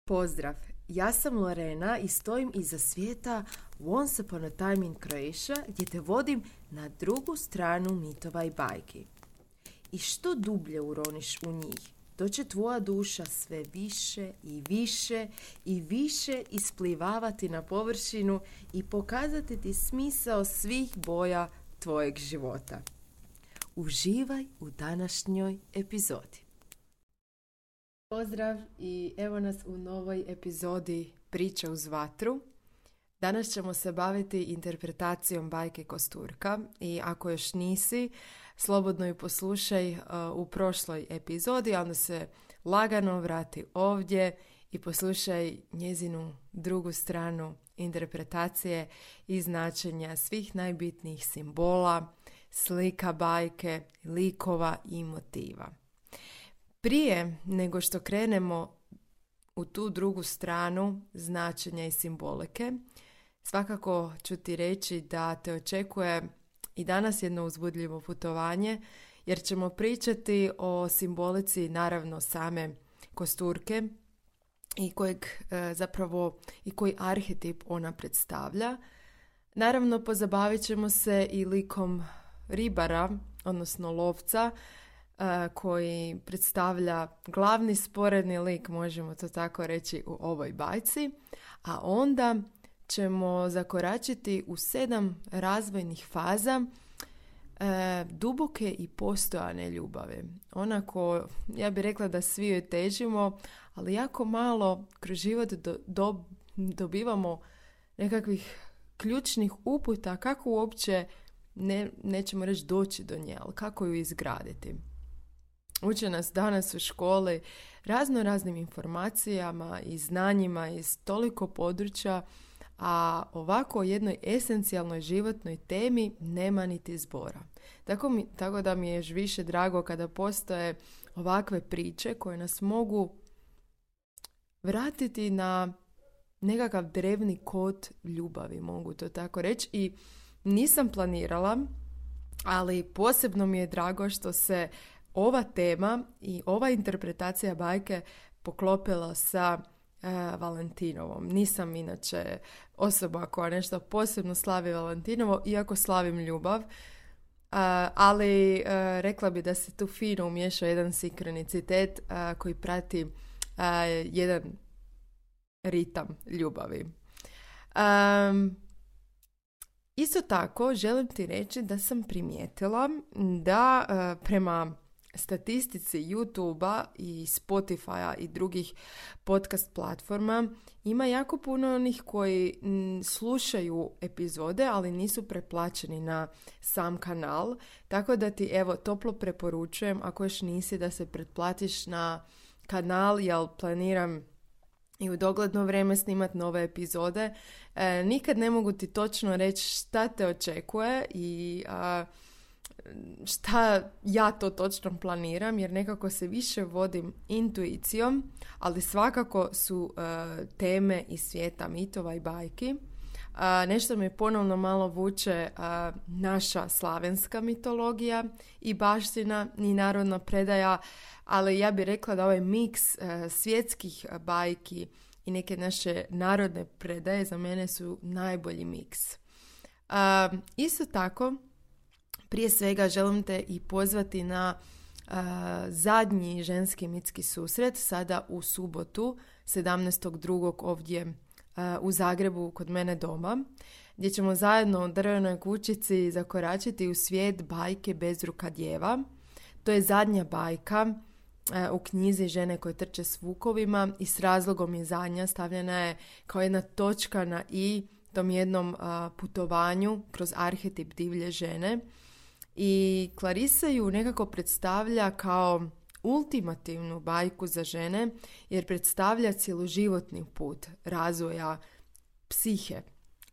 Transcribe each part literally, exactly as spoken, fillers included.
Pozdrav, ja sam Lorena i stojim iza svijeta Once Upon a Time in Croatia gdje te vodim na drugu stranu mitova i bajki. I što dublje uroniš u njih, to će tvoja duša sve više i više i više isplivavati na površinu i pokazati ti smisao svih boja tvojeg života. Uživaj u današnjoj epizodi. Pozdrav i evo nas u novoj epizodi Priče uz vatru. Danas ćemo se baviti interpretacijom bajke Kosturka i ako još nisi, slobodno ju poslušaj uh, u prošloj epizodi, a onda se lagano vrati ovdje i poslušaj njezinu drugu stranu interpretacije i značenja svih najbitnijih simbola, slika bajke, likova i motiva. Prije nego što krenemo u tu drugu stranu značenja i simbolike, svakako ću ti reći da te očekuje i danas jedno uzbudljivo putovanje, jer ćemo pričati o simbolici naravno same Kosturke i kojeg e, zapravo i koji arhetip ona predstavlja. Naravno pozabavit ćemo se i likom ribara, odnosno lovca, koji predstavlja glavni sporedni lik, možemo to tako reći, u ovoj bajci, a onda ćemo zakoračiti u sedam razvojnih faza e, duboke i postojane ljubavi. Onako, ja bih rekla da svi joj težimo, ali jako malo kroz život do, do, dobivamo nekakvih ključnih uputa kako uopće, ne, nećemo reći doći do nje, ali kako ju izgraditi. Uče nas danas u školi razno raznim informacijama i znanjima iz toliko područja, a ovako o jednoj esencijalnoj životnoj temi nema niti zbora. Tako, mi, tako da mi je još više drago kada postoje ovakve priče koje nas mogu vratiti na nekakav drevni kod ljubavi, mogu to tako reći. I nisam planirala, ali posebno mi je drago što se ova tema i ova interpretacija bajke poklopila sa e, Valentinovom. Nisam inače osoba koja nešto posebno slavi Valentinovo, iako slavim ljubav, e, ali e, rekla bi da se tu fino umiješao jedan sinkronicitet e, koji prati e, jedan ritam ljubavi. E, isto tako želim ti reći da sam primijetila da e, prema statistici YouTube-a i Spotify-a i drugih podcast platforma ima jako puno onih koji m, slušaju epizode, ali nisu preplaćeni na sam kanal. Tako da ti evo toplo preporučujem, ako još nisi, da se pretplatiš na kanal, jer planiram i u dogledno vrijeme snimati nove epizode. E, nikad ne mogu ti točno reći šta te očekuje i a, šta ja to točno planiram, jer nekako se više vodim intuicijom, ali svakako su uh, teme iz svijeta mitova i bajki. Uh, nešto me ponovno malo vuče uh, naša slavenska mitologija i baština i narodna predaja, ali ja bih rekla da ovaj miks uh, svjetskih bajki i neke naše narodne predaje za mene su najbolji miks. Uh, isto tako, prije svega želim te i pozvati na uh, zadnji ženski mitski susret sada u subotu sedamnaestog drugog ovdje uh, u Zagrebu kod mene doma, gdje ćemo zajedno u drvenoj kućici zakoračiti u svijet bajke Bezruka djeva. To je zadnja bajka uh, u knjizi Žene koje trče s vukovima i s razlogom je zadnja, stavljena je kao jedna točka na i tom jednom uh, putovanju kroz arhetip divlje žene. I Clarissa ju nekako predstavlja kao ultimativnu bajku za žene, jer predstavlja cjeloživotni put razvoja psihe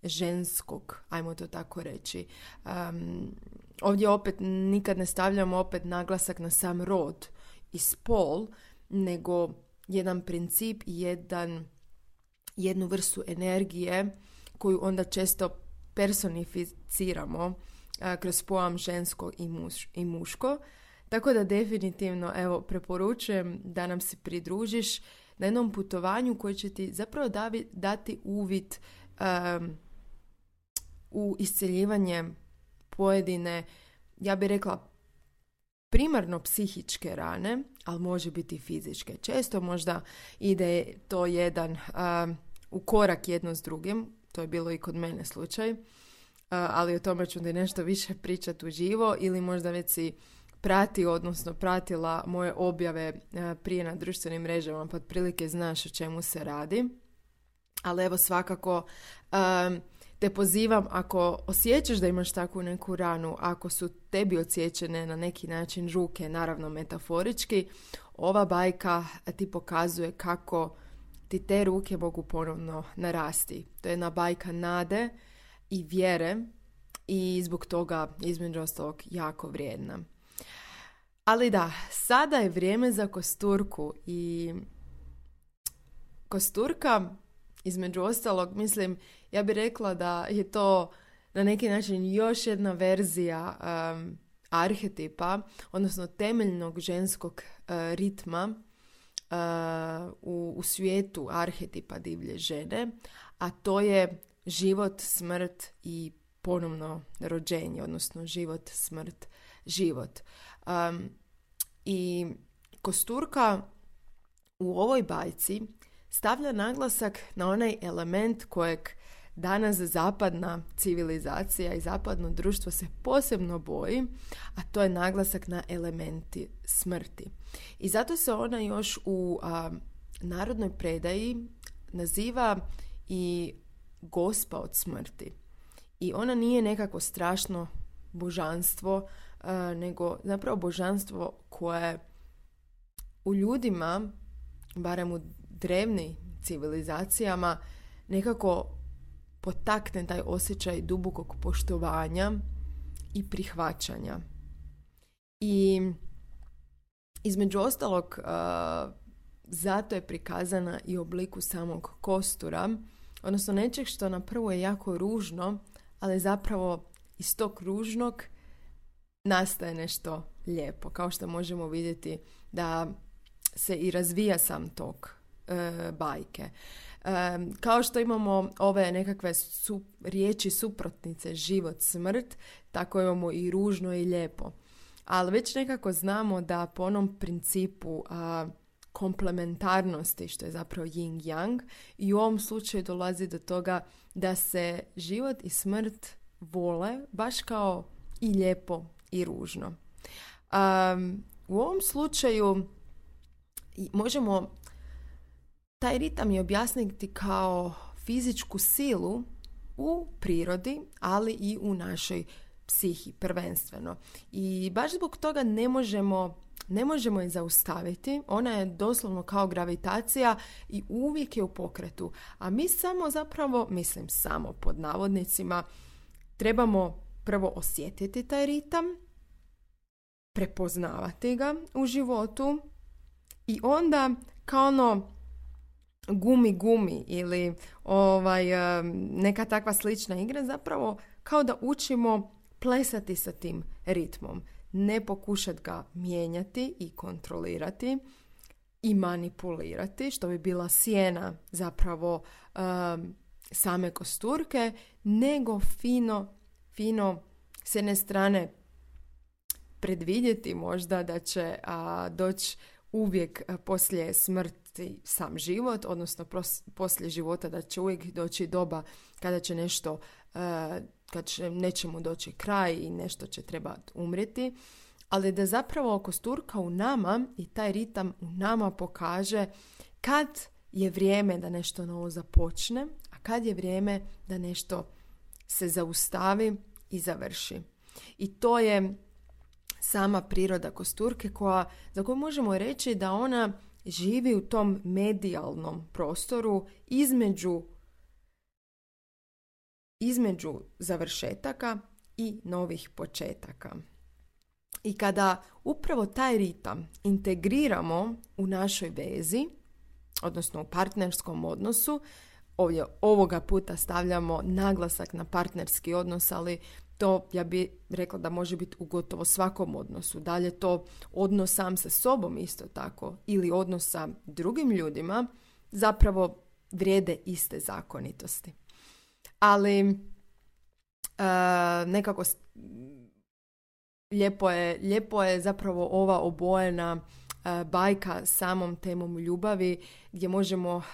ženskog, ajmo to tako reći. Um, ovdje opet nikad ne stavljamo opet naglasak na sam rod i spol, nego jedan princip i jedan, jednu vrstu energije koju onda često personificiramo kroz pojam žensko i, muš, i muško. Tako da definitivno evo preporučujem da nam se pridružiš na jednom putovanju koje će ti zapravo davi, dati uvid um, u isceljivanje pojedine, ja bih rekla, primarno psihičke rane, ali može biti i fizičke. Često možda ide to jedan um, u korak jedno s drugim, to je bilo i kod mene slučaj, uh, ali o tome ću ti nešto više pričati uživo ili možda već si prati, odnosno pratila moje objave uh, prije na društvenim mrežama, pa otprilike znaš o čemu se radi. Ali evo svakako um, te pozivam, ako osjećaš da imaš takvu neku ranu, ako su tebi odsječene na neki način ruke, naravno metaforički, ova bajka ti pokazuje kako ti te ruke mogu ponovno narasti. To je jedna bajka nade i vjere i zbog toga između ostalog jako vrijedna. Ali da, sada je vrijeme za kosturku i kosturka, između ostalog, mislim, ja bih rekla da je to na neki način još jedna verzija um, arhetipa, odnosno temeljnog ženskog uh, ritma uh, u, u svijetu arhetipa divlje žene, a to je život, smrt i ponovno rođenje, odnosno život, smrt, život. Um, I kosturka u ovoj bajci stavlja naglasak na onaj element kojeg danas zapadna civilizacija i zapadno društvo se posebno boji, a to je naglasak na elementi smrti. I zato se ona još u a, narodnoj predaji naziva i gospa od smrti. I ona nije nekako strašno božanstvo, a, nego zapravo božanstvo koje u ljudima, barem u drevnim civilizacijama, nekako potakne taj osjećaj dubokog poštovanja i prihvaćanja. I između ostalog uh, zato je prikazana i u obliku samog kostura, odnosno nečeg što na prvo je jako ružno, ali zapravo iz tog ružnog nastaje nešto lijepo, kao što možemo vidjeti da se i razvija sam tok e, bajke. E, kao što imamo ove nekakve su, riječi suprotnice, život, smrt, tako imamo i ružno i lijepo. Ali već nekako znamo da po onom principu a, komplementarnosti, što je zapravo yin-yang, i u ovom slučaju dolazi do toga da se život i smrt vole baš kao i lijepo i ružno. Um, u ovom slučaju možemo taj ritam i objasniti kao fizičku silu u prirodi, ali i u našoj psihi prvenstveno. I baš zbog toga ne možemo, ne možemo je zaustaviti. Ona je doslovno kao gravitacija i uvijek je u pokretu. A mi samo zapravo, mislim samo pod navodnicima, trebamo prvo osjetiti taj ritam, prepoznavati ga u životu i onda kao ono gumi gumi ili ovaj, neka takva slična igra, zapravo kao da učimo plesati sa tim ritmom. Ne pokušati ga mijenjati i kontrolirati i manipulirati, što bi bila sjena zapravo um, same kosturke, nego fino, fino s jedne strane predvidjeti možda da će a, doći uvijek a, poslije smrti sam život, odnosno pros, poslije života da će uvijek doći doba kada će nešto, a, kad će nečemu doći kraj i nešto će trebati umrijeti, ali da zapravo kosturka u nama i taj ritam u nama pokaže kad je vrijeme da nešto novo započne, a kad je vrijeme da nešto se zaustavi i završi. I to je sama priroda kosturke koja, za koju možemo reći da ona živi u tom medijalnom prostoru između, između završetaka i novih početaka. I kada upravo taj ritam integriramo u našoj vezi, odnosno u partnerskom odnosu, ovdje ovoga puta stavljamo naglasak na partnerski odnos, ali to ja bih rekla da može biti u gotovo svakom odnosu. Dalje to odnos sam sa sobom isto tako ili odnos sa drugim ljudima, zapravo vrijede iste zakonitosti. Ali uh, nekako lijepo je, lijepo je zapravo ova obojena uh, bajka samom temom ljubavi, gdje možemo uh,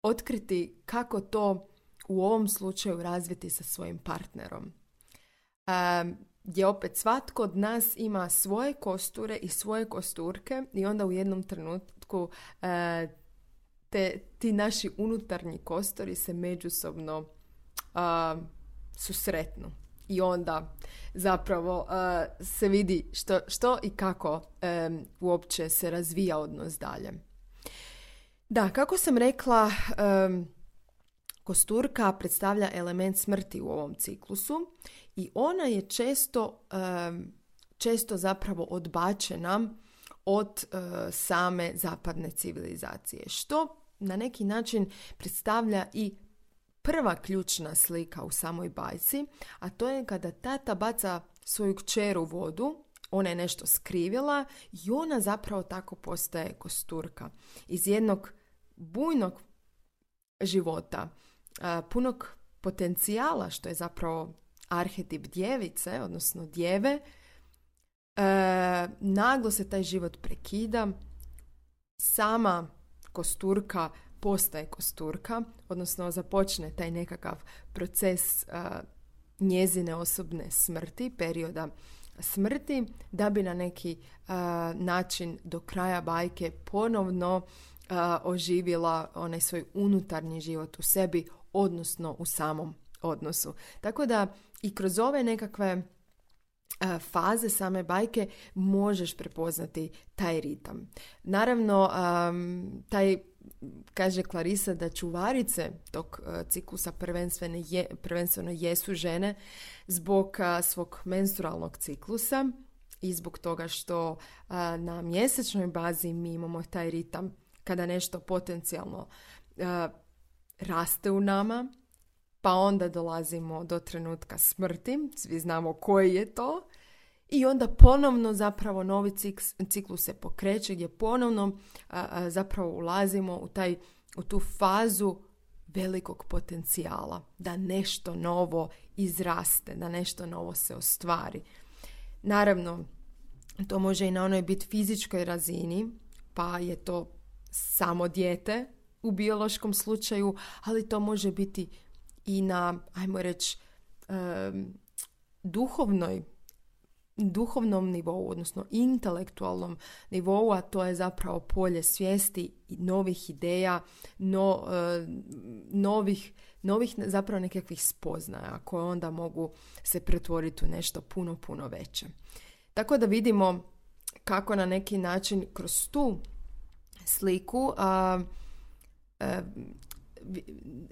otkriti kako to u ovom slučaju razviti sa svojim partnerom. Um, gdje opet svatko od nas ima svoje kosture i svoje kosturke i onda u jednom trenutku uh, te, ti naši unutarnji kostori se međusobno uh, susretnu. I onda zapravo uh, se vidi što, što i kako um, uopće se razvija odnos dalje. Da, kako sam rekla, um, kosturka predstavlja element smrti u ovom ciklusu i ona je često, um, često zapravo odbačena od uh, same zapadne civilizacije, što na neki način predstavlja i prva ključna slika u samoj bajci, a to je kada tata baca svoju kćer u vodu, ona je nešto skrivila i ona zapravo tako postaje kosturka. Iz jednog bujnog života, punog potencijala, što je zapravo arhetip djevice, odnosno djeve, naglo se taj život prekida, sama kosturka postaje kosturka, odnosno započne taj nekakav proces uh, njezine osobne smrti, perioda smrti, da bi na neki uh, način do kraja bajke ponovno uh, oživjela onaj svoj unutarnji život u sebi, odnosno u samom odnosu. Tako da i kroz ove nekakve uh, faze same bajke možeš prepoznati taj ritam. Naravno, um, taj kaže Clarissa da čuvarice tog uh, ciklusa prvenstveno, je, prvenstveno jesu žene zbog uh, svog menstrualnog ciklusa i zbog toga što uh, na mjesečnoj bazi mi imamo taj ritam kada nešto potencijalno uh, raste u nama, pa onda dolazimo do trenutka smrti, svi znamo koji je to, i onda ponovno zapravo novi ciklus se pokreće gdje ponovno a, a, zapravo ulazimo u, taj, u tu fazu velikog potencijala, da nešto novo izraste, da nešto novo se ostvari. Naravno, to može i na onoj biti fizičkoj razini, pa je to samo dijete u biološkom slučaju, ali to može biti i na, ajmo reći, um, duhovnoj duhovnom nivou, odnosno intelektualnom nivou, a to je zapravo polje svijesti i novih ideja, no, uh, novih, novih zapravo nekakvih spoznaja koje onda mogu se pretvoriti u nešto puno, puno veće. Tako da vidimo kako na neki način kroz tu sliku uh, uh,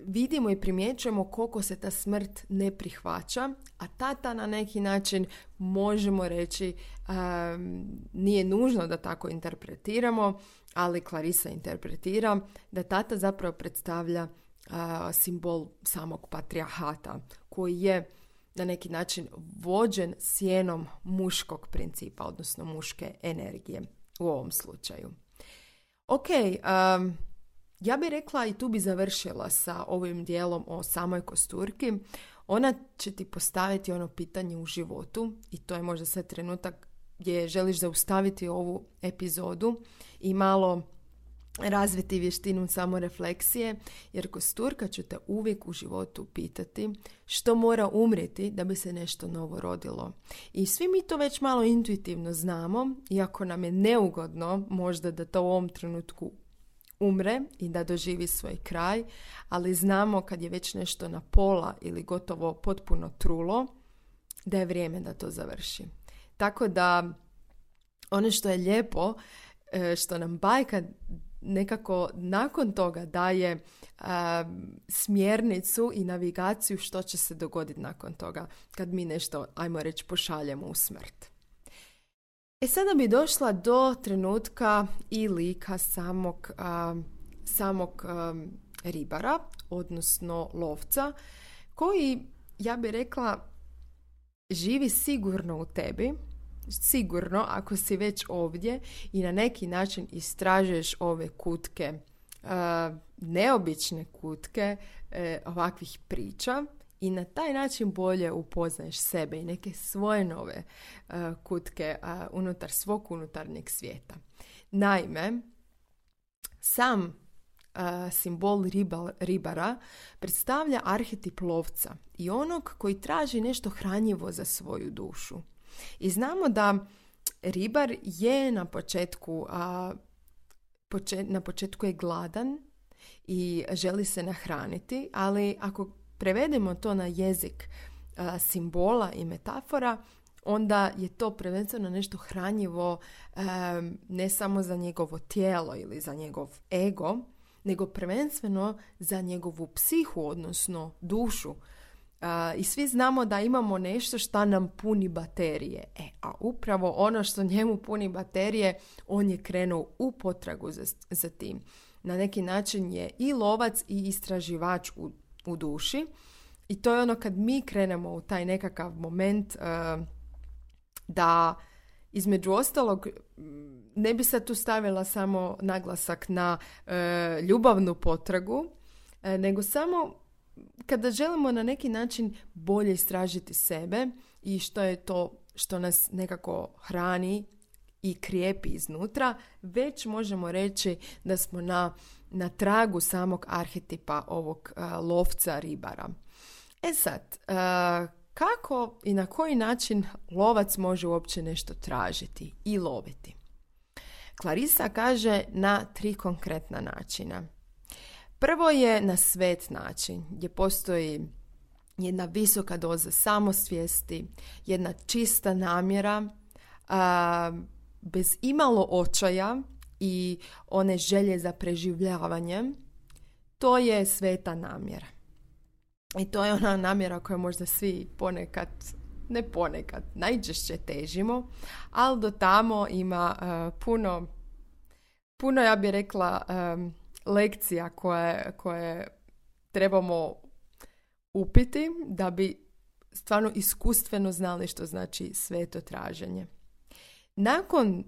vidimo i primjećujemo koliko se ta smrt ne prihvaća, a tata na neki način možemo reći um, nije nužno da tako interpretiramo, ali Clarissa interpretira da tata zapravo predstavlja uh, simbol samog patrijarhata koji je na neki način vođen sjenom muškog principa, odnosno muške energije u ovom slučaju. Ok, um, ja bih rekla i tu bi završila sa ovim dijelom o samoj kosturki. Ona će ti postaviti ono pitanje u životu i to je možda sad trenutak gdje želiš zaustaviti ovu epizodu i malo razviti vještinu samorefleksije, jer kosturka će te uvijek u životu pitati što mora umrijeti da bi se nešto novo rodilo. I svi mi to već malo intuitivno znamo, iako nam je neugodno možda da to u ovom trenutku umre i da doživi svoj kraj, ali znamo kad je već nešto na pola ili gotovo potpuno trulo, da je vrijeme da to završi. Tako da ono što je lijepo, što nam bajka nekako nakon toga daje uh, smjernicu i navigaciju što će se dogoditi nakon toga kad mi nešto, ajmo reći, pošaljemo u smrt. E sada bi došla do trenutka i lika samog, uh, samog um, ribara, odnosno lovca, koji, ja bih rekla, živi sigurno u tebi, sigurno ako si već ovdje i na neki način istražuješ ove kutke uh, neobične kutke uh, ovakvih priča i na taj način bolje upoznaješ sebe i neke svoje nove uh, kutke uh, unutar svog unutarnjeg svijeta. Naime, sam uh, simbol riba, ribara predstavlja arhetip lovca i onog koji traži nešto hranjivo za svoju dušu. I znamo da ribar je na početku, a, počet, na početku je gladan i želi se nahraniti, ali ako prevedemo to na jezik a, simbola i metafora, onda je to prvenstveno nešto hranjivo a, ne samo za njegovo tijelo ili za njegov ego, nego prvenstveno za njegovu psihu, odnosno dušu. Uh, I svi znamo da imamo nešto što nam puni baterije. E, a upravo ono što njemu puni baterije, on je krenuo u potragu za, za tim. Na neki način je i lovac i istraživač u, u duši. I to je ono kad mi krenemo u taj nekakav moment uh, da između ostalog ne bi se tu stavila samo naglasak na uh, ljubavnu potragu, uh, nego samo kada želimo na neki način bolje istražiti sebe i što je to što nas nekako hrani i krijepi iznutra, već možemo reći da smo na, na tragu samog arhetipa ovog uh, lovca ribara. E sad, uh, kako i na koji način lovac može uopće nešto tražiti i loviti? Clarissa kaže na tri konkretna načina. Prvo je na svet način, gdje postoji jedna visoka doza samosvijesti, jedna čista namjera, a, bez imalo očaja i one želje za preživljavanjem. To je sveta namjera. I to je ona namjera koju možda svi ponekad, ne ponekad, najčešće težimo, ali do tamo ima uh, puno, puno, ja bih rekla, um, lekcija koje, koje trebamo upiti da bi stvarno iskustveno znali što znači sveto traženje. Nakon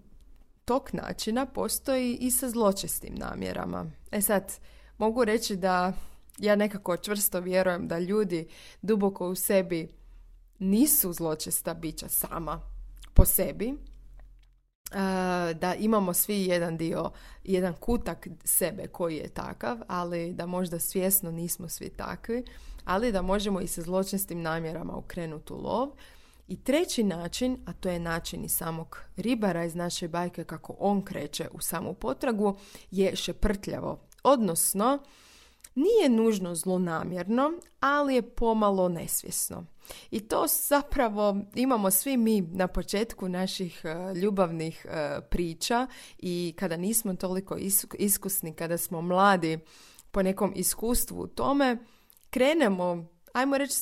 tog načina postoji i sa zločestim namjerama. E sad, mogu reći da ja nekako čvrsto vjerujem da ljudi duboko u sebi nisu zločesta bića sama po sebi, da imamo svi jedan dio, jedan kutak sebe koji je takav, ali da možda svjesno nismo svi takvi, ali da možemo i sa zločestim namjerama ukrenuti u lov. I treći način, a to je način i samog ribara iz naše bajke kako on kreće u samu potragu, je šeprtljavo, odnosno nije nužno zlonamjerno, ali je pomalo nesvjesno. I to zapravo imamo svi mi na početku naših uh, ljubavnih uh, priča i kada nismo toliko iskusni, kada smo mladi po nekom iskustvu u tome, krenemo, ajmo reći,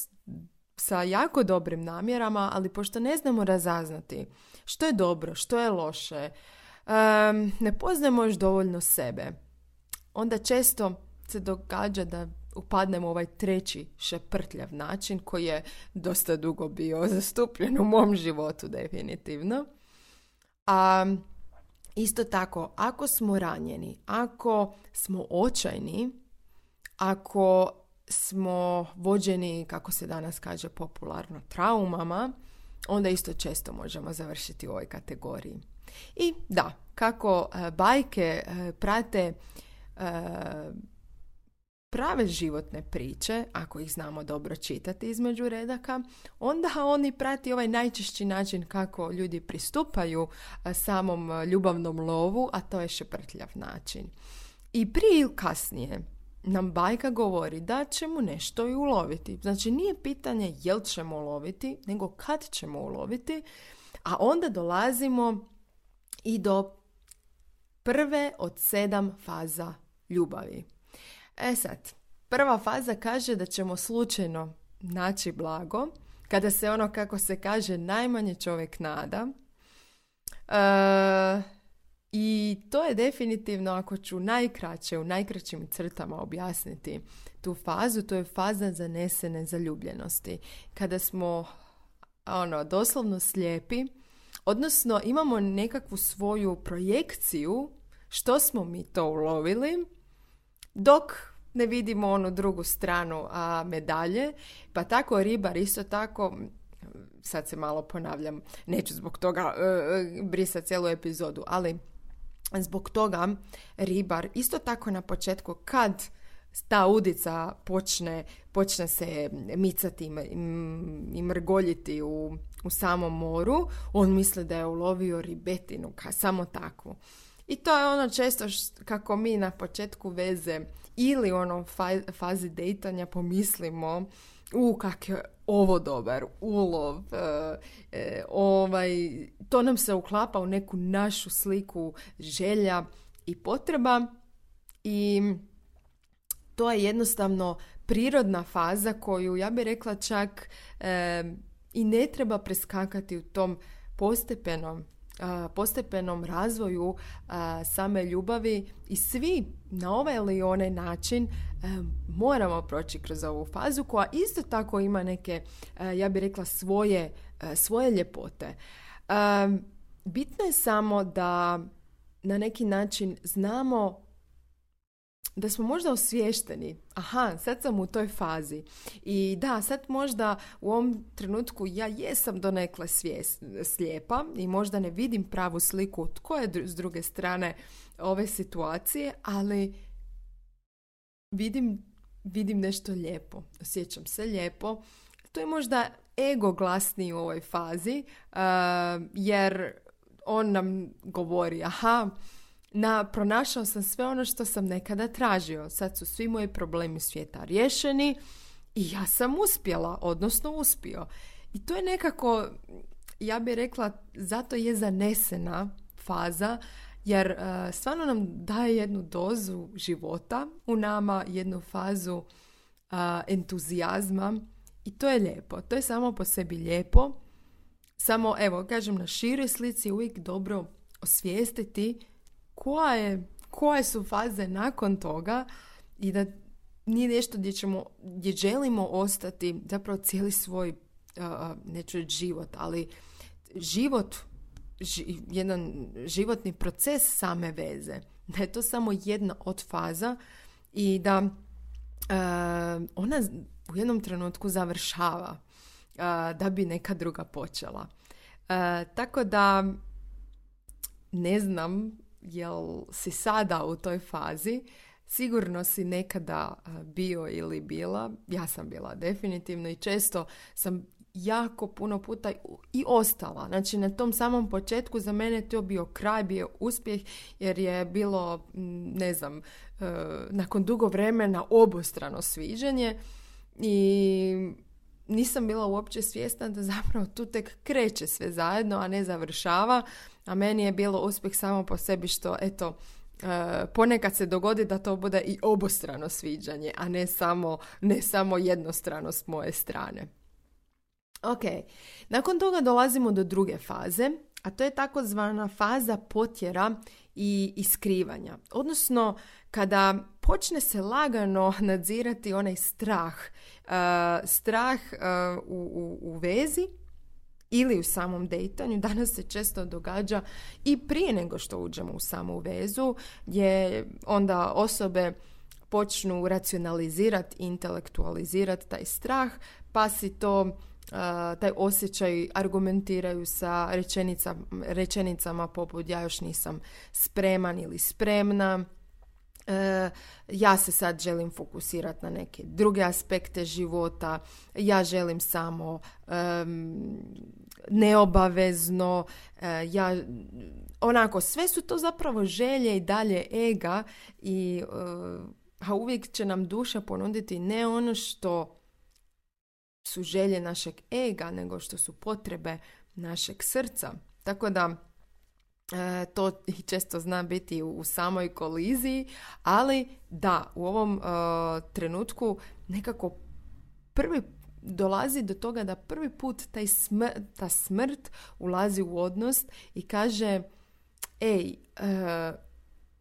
sa jako dobrim namjerama, ali pošto ne znamo razaznati što je dobro, što je loše, um, ne poznajemo još dovoljno sebe, onda često se događa da upadnemo u ovaj treći šeprtljav način koji je dosta dugo bio zastupljen u mom životu definitivno. A isto tako, ako smo ranjeni, ako smo očajni, ako smo vođeni, kako se danas kaže popularno, traumama, onda isto često možemo završiti u ovoj kategoriji. I da, kako uh, bajke uh, prate uh, prave životne priče, ako ih znamo dobro čitati između redaka, onda oni prati ovaj najčešći način kako ljudi pristupaju uh, samom ljubavnom lovu, a to je šeprtljav način. I prije ili kasnije nam bajka govori da ćemo nešto i uloviti. Znači nije pitanje jel ćemo uloviti, nego kad ćemo uloviti, a onda dolazimo i do prve od sedam faza ljubavi. E sad, prva faza kaže da ćemo slučajno naći blago, kada se ono, kako se kaže, najmanje čovjek nada. E, I to je definitivno, ako ću najkraće, u najkraćim crtama objasniti tu fazu, to je faza zanesene zaljubljenosti. Kada smo ono, doslovno slijepi, odnosno imamo nekakvu svoju projekciju što smo mi to ulovili, dok ne vidimo onu drugu stranu a, medalje. Pa tako ribar isto tako, sad se malo ponavljam, neću zbog toga uh, brisati cijelu epizodu, ali zbog toga ribar isto tako na početku kad ta udica počne, počne se micati i mrgoljiti u, u samom moru, on misli da je ulovio ribetinu, ka, samo takvu. I to je ono često št, kako mi na početku veze ili u onom fa, fazi dejtanja pomislimo u kak je ovo dobar ulov, e, e, ovaj, to nam se uklapa u neku našu sliku želja i potreba i to je jednostavno prirodna faza koju ja bih rekla čak e, i ne treba preskakati u tom postepenom postepenom razvoju a, same ljubavi i svi na ovaj ili onaj način a, moramo proći kroz ovu fazu koja isto tako ima neke, a, ja bih rekla, svoje, a, svoje ljepote. A, bitno je samo da na neki način znamo da smo možda osviješteni. Aha, sad sam u toj fazi. I da, sad možda u ovom trenutku ja jesam donekle svijest, slijepa i možda ne vidim pravu sliku tko je s druge strane ove situacije, ali vidim, vidim nešto lijepo. Osjećam se lijepo. To je možda ego glasniji u ovoj fazi, uh, jer on nam govori, aha, Na, pronašao sam sve ono što sam nekada tražio. Sad su svi moji problemi svijeta riješeni i ja sam uspjela, odnosno uspio. I to je nekako, ja bih rekla, zato je zanesena faza, jer uh, stvarno nam daje jednu dozu života u nama, jednu fazu uh, entuzijazma i to je lijepo. To je samo po sebi lijepo. Samo, evo, kažem, na široj slici je uvijek dobro osvijestiti Koje, koje su faze nakon toga i da nije nešto gdje, ćemo, gdje želimo ostati zapravo cijeli svoj, uh, neću reći život, ali život, ži, jedan životni proces same veze. Da je to samo jedna od faza i da uh, ona u jednom trenutku završava uh, da bi neka druga počela. Uh, tako da ne znam jel si sada u toj fazi, sigurno si nekada bio ili bila, ja sam bila definitivno i često sam jako puno puta i ostala. Znači na tom samom početku za mene je to bio kraj, bio uspjeh jer je bilo, ne znam, nakon dugo vremena obostrano sviđanje i nisam bila uopće svjesna da zapravo tu tek kreće sve zajedno, a ne završava. A meni je bilo uspjeh samo po sebi što, eto, e, ponekad se dogodi da to bude i obostrano sviđanje, a ne samo, ne samo jednostrano s moje strane. Ok, nakon toga dolazimo do druge faze, a to je takozvana faza potjera i iskrivanja. Odnosno, kada počne se lagano nadzirati onaj strah, uh, strah uh, u, u, u vezi ili u samom dejtanju. Danas se često događa i prije nego što uđemo u samu vezu, gdje onda osobe počnu racionalizirati, intelektualizirati taj strah, pa si to, uh, taj osjećaj argumentiraju sa rečenica, rečenicama poput ja još nisam spreman ili spremna. E, ja se sad želim fokusirati na neke druge aspekte života, ja želim samo um, neobavezno, uh, ja, onako, sve su to zapravo želje i dalje ega i uh, a uvijek će nam duša ponuditi ne ono što su želje našeg ega, nego što su potrebe našeg srca. Tako da E, to često zna biti u, u samoj koliziji, ali da, u ovom uh, trenutku nekako prvi dolazi do toga da prvi put taj smr, ta smrt ulazi u odnos i kaže ej, uh,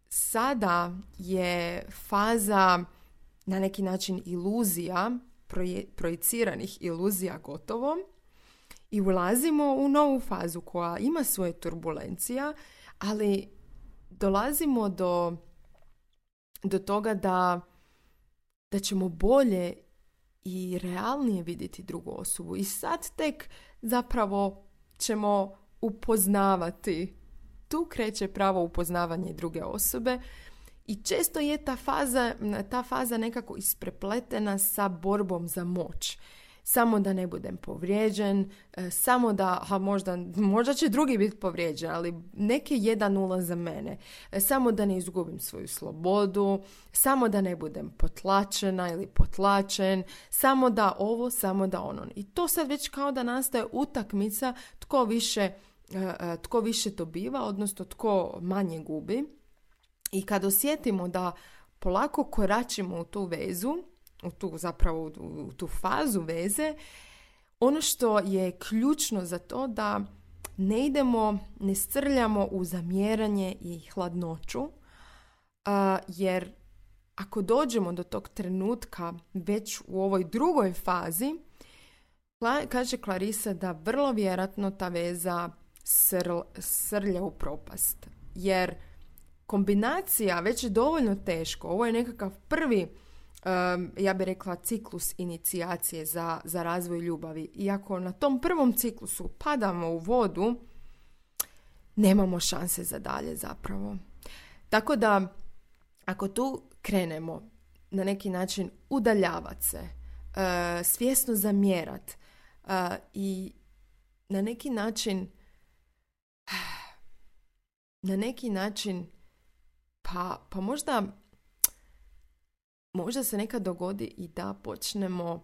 sada je faza na neki način iluzija, proje, projiciranih iluzija gotovo. I ulazimo u novu fazu koja ima svoje turbulencija, ali dolazimo do do toga da, da ćemo bolje i realnije vidjeti drugu osobu. I sad tek zapravo ćemo upoznavati. Tu kreće pravo upoznavanje druge osobe i često je ta faza, ta faza nekako isprepletena sa borbom za moć. Samo da ne budem povrijeđen, samo da, ha, možda, možda će drugi biti povrijeđen, ali neke jedan nula za mene. Samo da ne izgubim svoju slobodu, samo da ne budem potlačena ili potlačen, samo da ovo, samo da ono. I to sad već kao da nastaje utakmica tko više, tko više dobiva, odnosno tko manje gubi. I kad osjetimo da polako koračimo u tu vezu, u tu zapravo u tu fazu veze, ono što je ključno za to da ne idemo, ne strljamo u zamjeranje i hladnoću, uh, jer ako dođemo do tog trenutka već u ovoj drugoj fazi, kaže Clarissa da vrlo vjerojatno ta veza srl, srlja u propast. Jer kombinacija već je dovoljno teško. Ovo je nekakav prvi Um, ja bih rekla ciklus inicijacije za, za razvoj ljubavi. I ako na tom prvom ciklusu padamo u vodu, nemamo šanse za dalje zapravo. Tako da, ako tu krenemo na neki način udaljavati se, uh, svjesno zamjerat uh, i na neki način na neki način pa, pa možda Možda se nekad dogodi i da počnemo,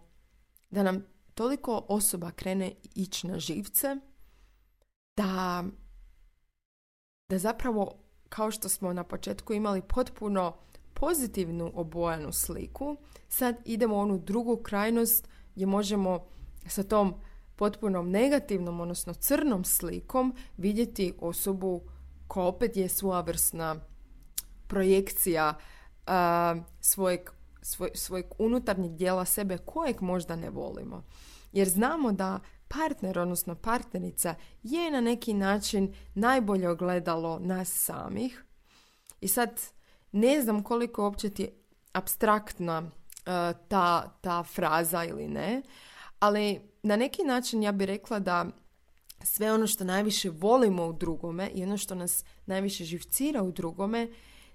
da nam toliko osoba krene ići na živce, da, da zapravo, kao što smo na početku imali potpuno pozitivnu obojanu sliku, sad idemo u onu drugu krajnost gdje možemo sa tom potpunom negativnom, odnosno crnom slikom vidjeti osobu koja opet je svojevrsna projekcija uh, svojeg Svoj, svojeg unutarnjeg dijela sebe kojeg možda ne volimo. Jer znamo da partner, odnosno partnerica, je na neki način najbolje ogledalo nas samih. I sad ne znam koliko uopće ti je apstraktna uh, ta, ta fraza ili ne, ali na neki način ja bih rekla da sve ono što najviše volimo u drugome i ono što nas najviše živcira u drugome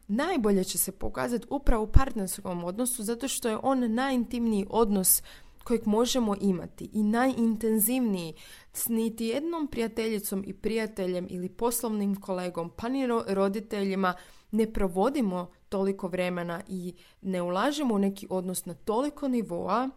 najbolje će se pokazati upravo u partnerskom odnosu, zato što je on najintimniji odnos kojeg možemo imati i najintenzivniji. S niti jednom prijateljicom i prijateljem ili poslovnim kolegom, pa ni roditeljima ne provodimo toliko vremena i ne ulažemo u neki odnos na toliko nivoa.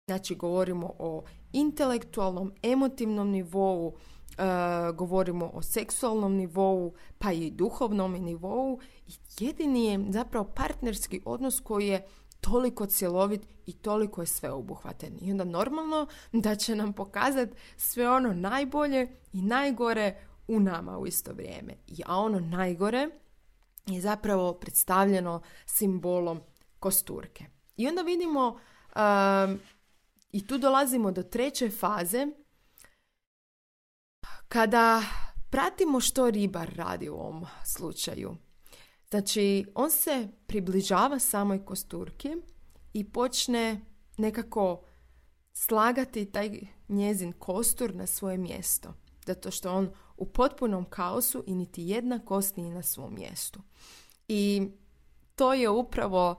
Znači, govorimo o intelektualnom, emotivnom nivou, Uh, govorimo o seksualnom nivou, pa i duhovnom nivou. I jedini je zapravo partnerski odnos koji je toliko cjelovit i toliko je sveobuhvatan. I onda normalno da će nam pokazati sve ono najbolje i najgore u nama u isto vrijeme. A ono najgore je zapravo predstavljeno simbolom kosturke. I onda vidimo uh, i tu dolazimo do treće faze, kada pratimo što ribar radi u ovom slučaju. Znači, on se približava samoj kosturki i počne nekako slagati taj njezin kostur na svoje mjesto. Zato što on u potpunom kaosu i niti jedna kost nije na svom mjestu. I to je upravo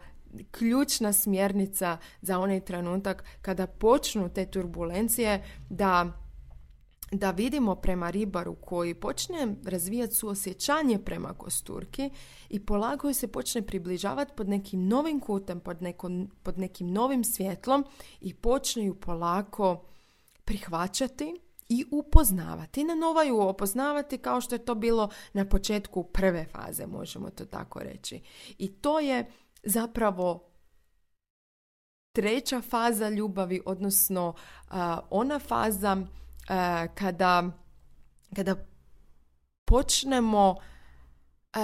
ključna smjernica za onaj trenutak kada počnu te turbulencije, da da vidimo prema ribaru koji počne razvijati suosjećanje prema kosturki i polako se počne približavati pod nekim novim kutem, pod, neko, pod nekim novim svjetlom i počne ju polako prihvaćati i upoznavati. Na nova ju opoznavati kao što je to bilo na početku prve faze, možemo to tako reći. I to je zapravo treća faza ljubavi, odnosno uh, ona faza uh, kada, kada počnemo uh,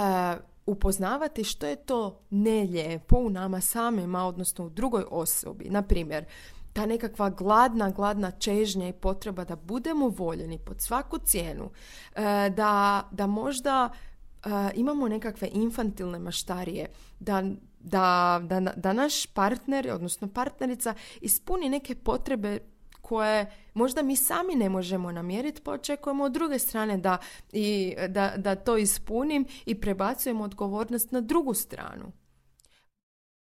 upoznavati što je to nelijepo u nama samima, odnosno u drugoj osobi. Na primjer, ta nekakva gladna, gladna čežnja i potreba da budemo voljeni pod svaku cijenu, uh, da, da možda imamo nekakve infantilne maštarije, da, da, da, da naš partner, odnosno partnerica, ispuni neke potrebe koje možda mi sami ne možemo namjeriti, pa očekujemo od druge strane da, i, da, da to ispunim i prebacujemo odgovornost na drugu stranu.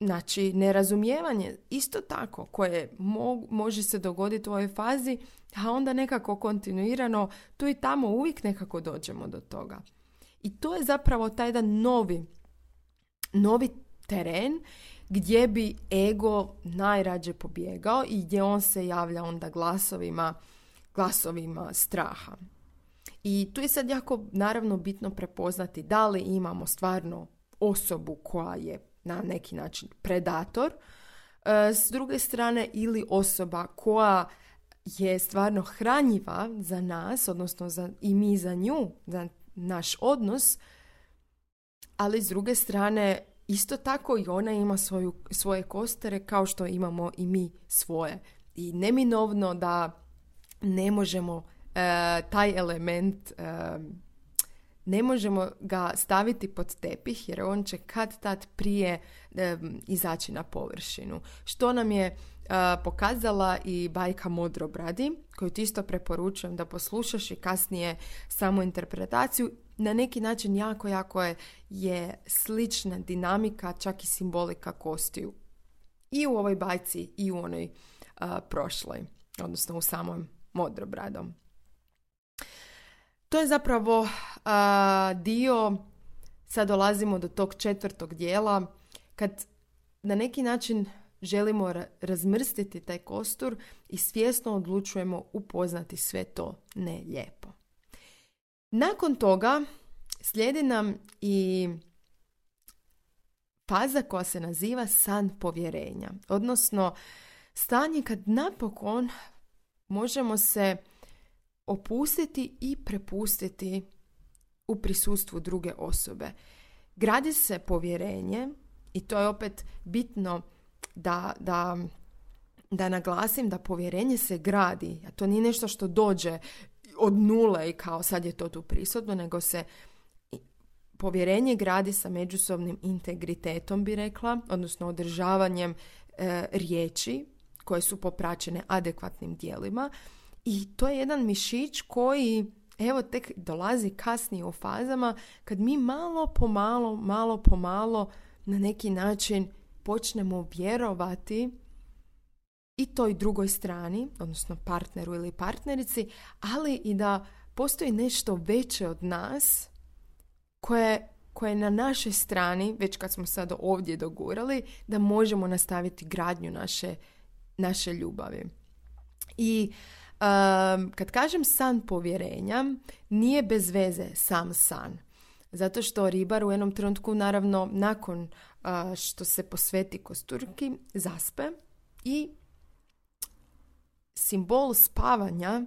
Znači, nerazumijevanje isto tako koje mo, može se dogoditi u ovoj fazi, a onda nekako kontinuirano tu i tamo uvijek nekako dođemo do toga. I to je zapravo taj jedan novi, novi teren gdje bi ego najrađe pobjegao i gdje on se javlja onda glasovima, glasovima straha. I tu je sad jako naravno bitno prepoznati da li imamo stvarno osobu koja je na neki način predator, s druge strane ili osoba koja je stvarno hranjiva za nas, odnosno za, i mi za nju, za naš odnos, ali s druge strane isto tako i ona ima svoju, svoje kostere kao što imamo i mi svoje. I neminovno da ne možemo e, taj element, e, ne možemo ga staviti pod tepih jer on će kad tad prije e, izaći na površinu. Što nam je e, pokazala i bajka Modrobradi, koju ti isto preporučujem da poslušaš i kasnije samu interpretaciju. Na neki način jako, jako je, je slična dinamika, čak i simbolika kostiju. I u ovoj bajci i u onoj uh, prošloj, odnosno u samom Modrobradom. To je zapravo uh, dio, sad dolazimo do tog četvrtog dijela, kad na neki način želimo ra- razmrstiti taj kostur i svjesno odlučujemo upoznati sve to ne lijepo. Nakon toga slijedi nam i faza koja se naziva san povjerenja, odnosno stanje kad napokon možemo se opustiti i prepustiti u prisustvu druge osobe. Gradi se povjerenje i to je opet bitno da, da, da naglasim da povjerenje se gradi, a to nije nešto što dođe od nule i kao sad je to tu prisutno, nego se povjerenje gradi sa međusobnim integritetom, bi rekla, odnosno održavanjem e, riječi koje su popraćene adekvatnim djelima. I to je jedan mišić koji, evo, tek dolazi kasnije u fazama kad mi malo po malo, malo po malo na neki način počnemo vjerovati i toj drugoj strani, odnosno partneru ili partnerici, ali i da postoji nešto veće od nas koje, koje je na našoj strani, već kad smo sad ovdje dogurali, da možemo nastaviti gradnju naše, naše ljubavi. I um, kad kažem san povjerenja, nije bez veze sam san. Zato što ribar u jednom trenutku, naravno, nakon uh, što se posveti kosturki, zaspe i simbol spavanja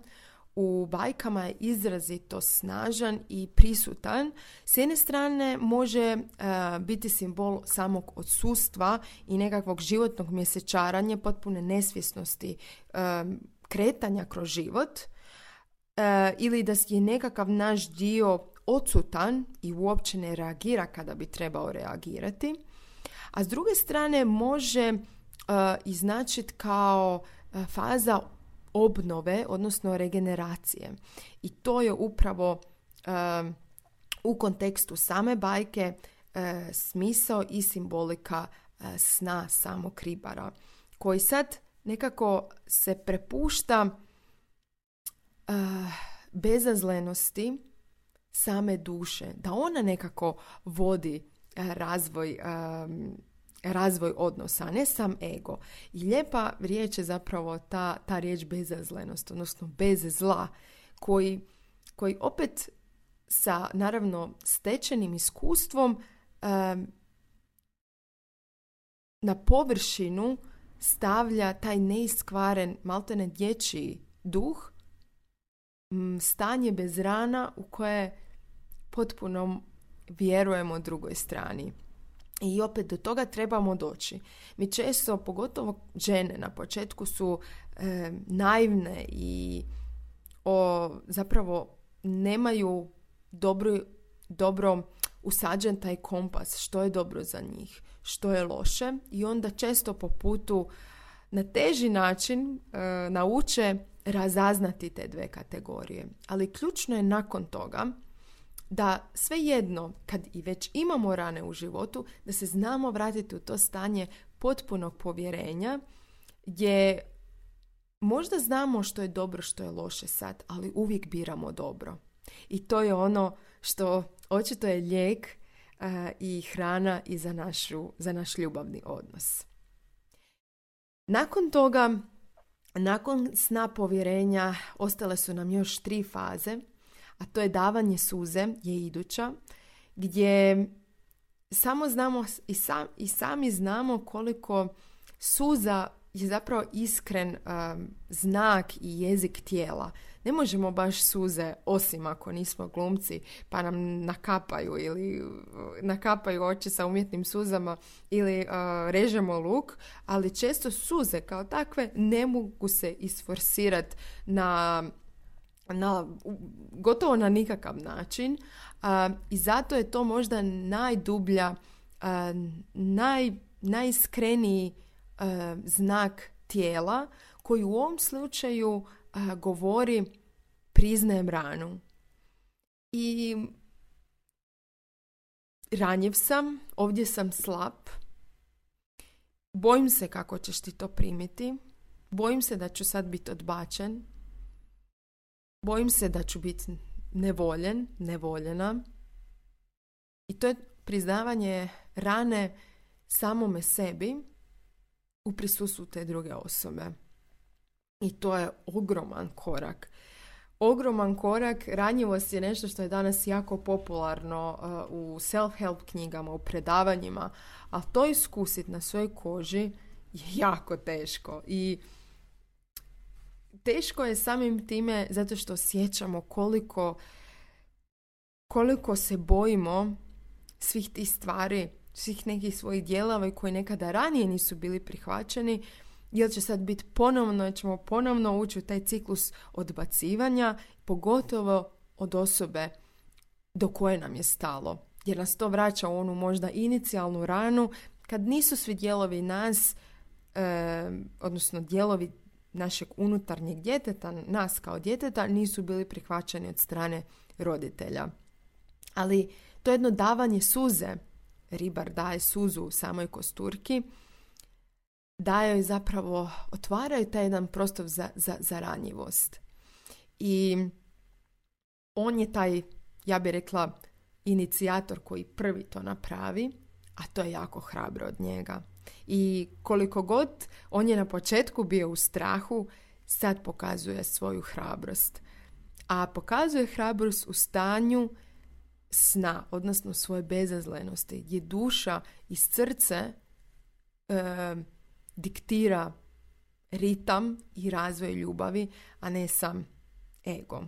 u bajkama je izrazito snažan i prisutan. S jedne strane može uh, biti simbol samog odsustva i nekakvog životnog mjesečaranja, potpune nesvjesnosti um, kretanja kroz život, uh, ili da je nekakav naš dio odsutan i uopće ne reagira kada bi trebao reagirati. A s druge strane može uh, iznačiti kao uh, faza obnove, odnosno regeneracije. I to je upravo uh, u kontekstu same bajke uh, smisao i simbolika uh, sna samog ribara, koji sad nekako se prepušta uh, bezazlenosti same duše, da ona nekako vodi uh, razvoj um, razvoj odnosa, a ne sam ego. I lijepa riječ je zapravo ta, ta riječ bezazlenost, odnosno bez zla, koji, koji opet sa, naravno, stečenim iskustvom um, na površinu stavlja taj neiskvaren, maltene dječji duh, m, stanje bez rana u koje potpuno vjerujemo drugoj strani. I opet do toga trebamo doći. Mi često, pogotovo žene na početku, su e, naivne i o, zapravo nemaju dobro, dobro usađen taj kompas, što je dobro za njih, što je loše, i onda često po putu na teži način e, nauče razaznati te dve kategorije. Ali ključno je nakon toga da svejedno, kad i već imamo rane u životu, da se znamo vratiti u to stanje potpunog povjerenja, gdje možda znamo što je dobro, što je loše sad, ali uvijek biramo dobro. I to je ono što očito je lijek uh, i hrana i za, našu, za naš ljubavni odnos. Nakon toga, nakon sna povjerenja, ostale su nam još tri faze, a to je davanje suze, je iduća, gdje samo znamo i, sam, i sami znamo koliko suza je zapravo iskren um, znak i jezik tijela. Ne možemo baš suze, osim ako nismo glumci, pa nam nakapaju ili uh, nakapaju oči sa umjetnim suzama ili uh, režemo luk, ali često suze kao takve ne mogu se isforsirati na, na gotovo na nikakav način, uh, i zato je to možda najdublja, uh, naj, najiskreniji uh, znak tijela koji u ovom slučaju uh, govori priznajem ranu. I ranjiv sam, ovdje sam slab, bojim se kako ćeš ti to primiti, bojim se da ću sad biti odbačen, bojim se da ću biti nevoljen, nevoljena. I to je priznavanje rane samome sebi u prisustvu te druge osobe. I to je ogroman korak. Ogroman korak. Ranjivost je nešto što je danas jako popularno uh, u self-help knjigama, u predavanjima, ali to iskusiti na svojoj koži je jako teško. I teško je samim time zato što osjećamo koliko, koliko se bojimo svih tih stvari, svih nekih svojih dijelova koji nekada ranije nisu bili prihvaćeni, jer će sad biti ponovno, jer ćemo ponovno ući u taj ciklus odbacivanja, pogotovo od osobe do koje nam je stalo. Jer nas to vraća u onu možda inicijalnu ranu, kad nisu svi dijelovi nas, e, odnosno dijelovi našeg unutarnjeg djeteta, nas kao djeteta, nisu bili prihvaćeni od strane roditelja. Ali to jedno davanje suze, ribar daje suzu u samoj kosturki, daje joj zapravo, otvaraju taj jedan prostor za, za, za ranjivost. I on je taj, ja bih rekla, inicijator koji prvi to napravi, a to je jako hrabro od njega. I koliko god on je na početku bio u strahu, sad pokazuje svoju hrabrost. A pokazuje hrabrost u stanju sna, odnosno svoje bezazlenosti, gdje duša iz srce e, diktira ritam i razvoj ljubavi, a ne sam ego.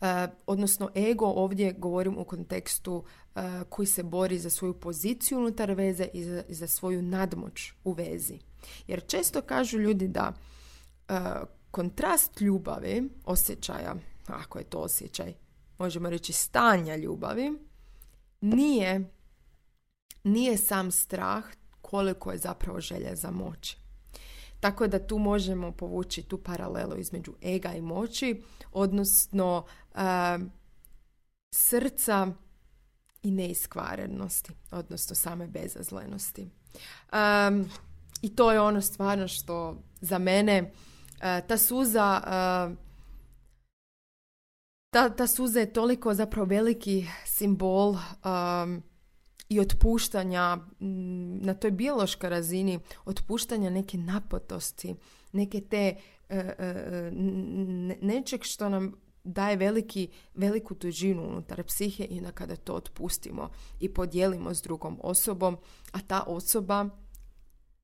E, odnosno ego ovdje govorim u kontekstu e, koji se bori za svoju poziciju unutar veze i za, i za svoju nadmoć u vezi. Jer često kažu ljudi da e, kontrast ljubavi, osjećaja, ako je to osjećaj, možemo reći stanja ljubavi, nije, nije sam strah koliko je zapravo želja za moći. Tako da tu možemo povući tu paralelu između ega i moći, odnosno uh, srca i neiskvarenosti, odnosno same bezazlenosti. Um, I to je ono stvarno što za mene uh, ta suza uh, ta, ta suza je toliko zapravo veliki simbol um, i otpuštanja na toj biološkoj razini, otpuštanja neke napetosti, neke te uh, uh, nečeg što nam daje veliki, veliku težinu unutar psihe i onda kada to otpustimo i podijelimo s drugom osobom, a ta osoba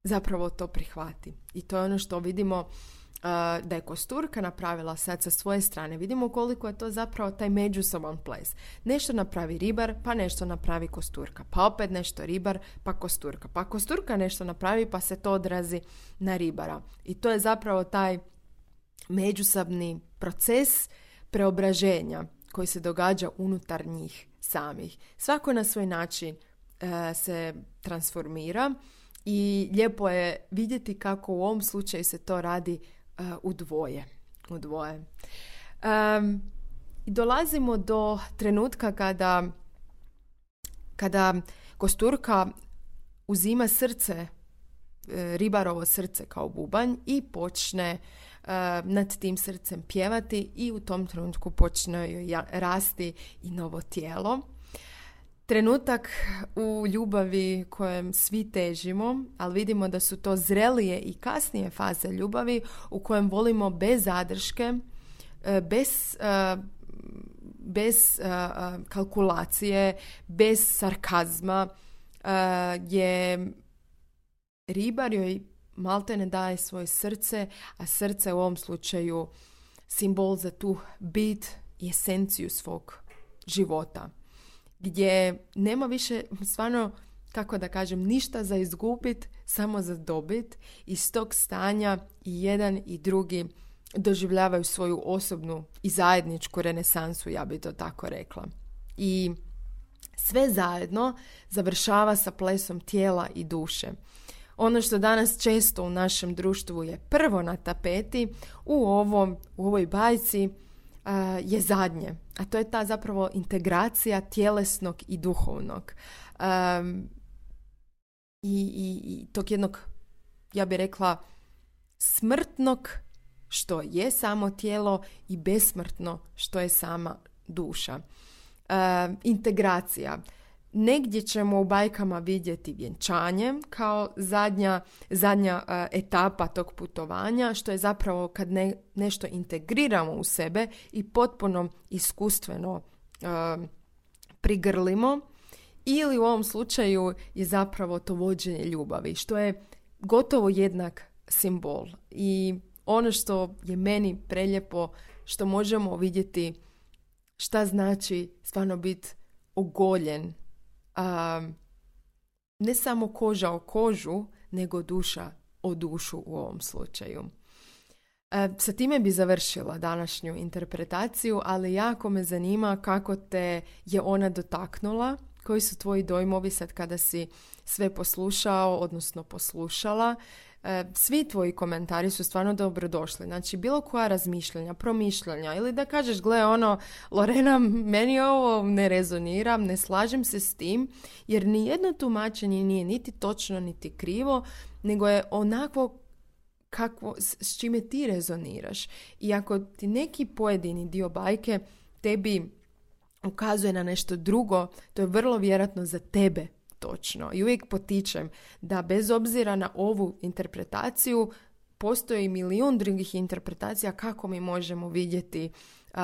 zapravo to prihvati. I to je ono što vidimo uh, da je kosturka napravila sad sa svoje strane. Vidimo koliko je to zapravo taj međusoban ples. Nešto napravi ribar, pa nešto napravi kosturka. Pa opet nešto ribar, pa kosturka. Pa kosturka nešto napravi, pa se to odrazi na ribara. I to je zapravo taj međusobni proces preobraženja koji se događa unutar njih samih. Svako na svoj način e, se transformira i lijepo je vidjeti kako u ovom slučaju se to radi e, u dvoje. U dvoje. Um, dolazimo do trenutka kada, kada kosturka uzima srce, ribarovo srce kao bubanj i počne uh, nad tim srcem pjevati i u tom trenutku počne joj rasti i novo tijelo. Trenutak u ljubavi kojem svi težimo, ali vidimo da su to zrelije i kasnije faze ljubavi u kojem volimo bez zadrške, bez, bez kalkulacije, bez sarkazma, je ribar joj malte ne daje svoje srce, a srce u ovom slučaju simbol za tu bit i esenciju svog života. Gdje nema više, stvarno, kako da kažem, ništa za izgubit, samo za dobit. Iz tog stanja i jedan i drugi doživljavaju svoju osobnu i zajedničku renesansu, ja bi to tako rekla. I sve zajedno završava sa plesom tijela i duše. Ono što danas često u našem društvu je prvo na tapeti, u, ovom, u ovoj bajci uh, je zadnje. A to je ta zapravo integracija tjelesnog i duhovnog. Um, i, i, I tog jednog, ja bih rekla, smrtnog, što je samo tijelo, i besmrtno, što je sama duša. Um, integracija. Negdje ćemo u bajkama vidjeti vjenčanje kao zadnja, zadnja uh, etapa tog putovanja, što je zapravo kad ne, nešto integriramo u sebe i potpuno iskustveno uh, prigrlimo, ili u ovom slučaju je zapravo to vođenje ljubavi, što je gotovo jednak simbol. I ono što je meni prelijepo, što možemo vidjeti šta znači stvarno biti ogoljen, Um, ne samo koža o kožu, nego duša o dušu u ovom slučaju. E, sa time bi završila današnju interpretaciju, ali jako me zanima kako te je ona dotaknula, koji su tvoji dojmovi sad kada si sve poslušao, odnosno poslušala. E, svi tvoji komentari su stvarno dobrodošli. Znači, bilo koja razmišljanja, promišljanja, ili da kažeš, gle, ono, Lorena, meni ovo ne rezonira, ne slažem se s tim, jer nijedno tumačenje nije niti točno, niti krivo, nego je onako kakvo, s, s čime ti rezoniraš. I ako ti neki pojedini dio bajke tebi ukazuje na nešto drugo, to je vrlo vjerojatno za tebe točno. I uvijek potičem da bez obzira na ovu interpretaciju postoji milijun drugih interpretacija kako mi možemo vidjeti uh,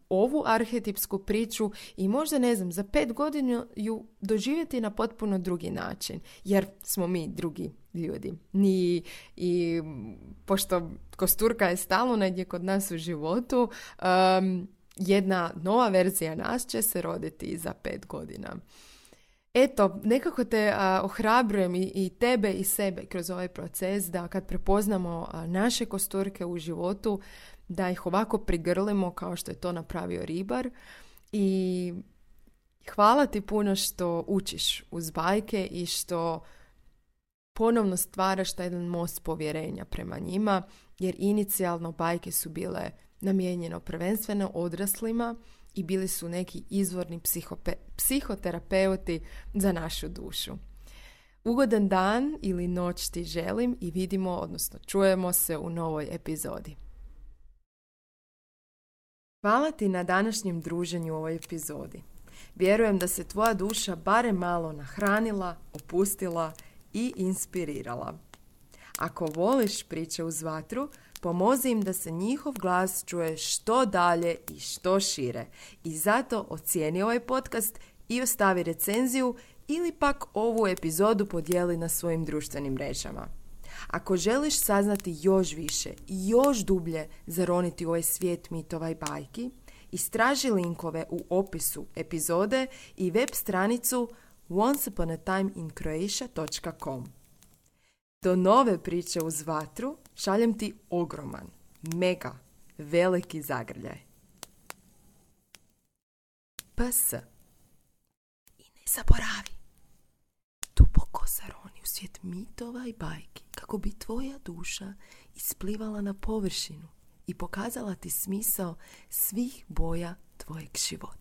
ovu arhetipsku priču i možda, ne znam, za pet godina ju doživjeti na potpuno drugi način, jer smo mi drugi ljudi. I, i pošto kosturka je stalno negdje kod nas u životu, um, jedna nova verzija nas će se roditi za pet godina. Eto, nekako te a, ohrabrujem i, i tebe i sebe kroz ovaj proces da kad prepoznamo a, naše kosturke u životu, da ih ovako prigrlimo kao što je to napravio ribar. I hvala ti puno što učiš uz bajke i što ponovno stvaraš taj jedan most povjerenja prema njima, jer inicijalno bajke su bile namijenjeno prvenstveno odraslima i bili su neki izvorni psihope, psihoterapeuti za našu dušu. Ugodan dan ili noć ti želim i vidimo, odnosno čujemo se u novoj epizodi. Hvala ti na današnjem druženju u ovoj epizodi. Vjerujem da se tvoja duša barem malo nahranila, opustila i inspirirala. Ako voliš priče uz vatru, pomozi im da se njihov glas čuje što dalje i što šire. I zato ocijeni ovaj podcast i ostavi recenziju ili pak ovu epizodu podijeli na svojim društvenim mrežama. Ako želiš saznati još više i još dublje zaroniti u ovaj svijet mitova i bajki, istraži linkove u opisu epizode i web stranicu once upon a time in croatia dot com. Do nove priče uz vatru šaljem ti ogroman, mega, veliki zagrljaj. P S. zaboravi. Duboko zaroni u svijet mitova i bajki kako bi tvoja duša isplivala na površinu i pokazala ti smisao svih boja tvojeg života.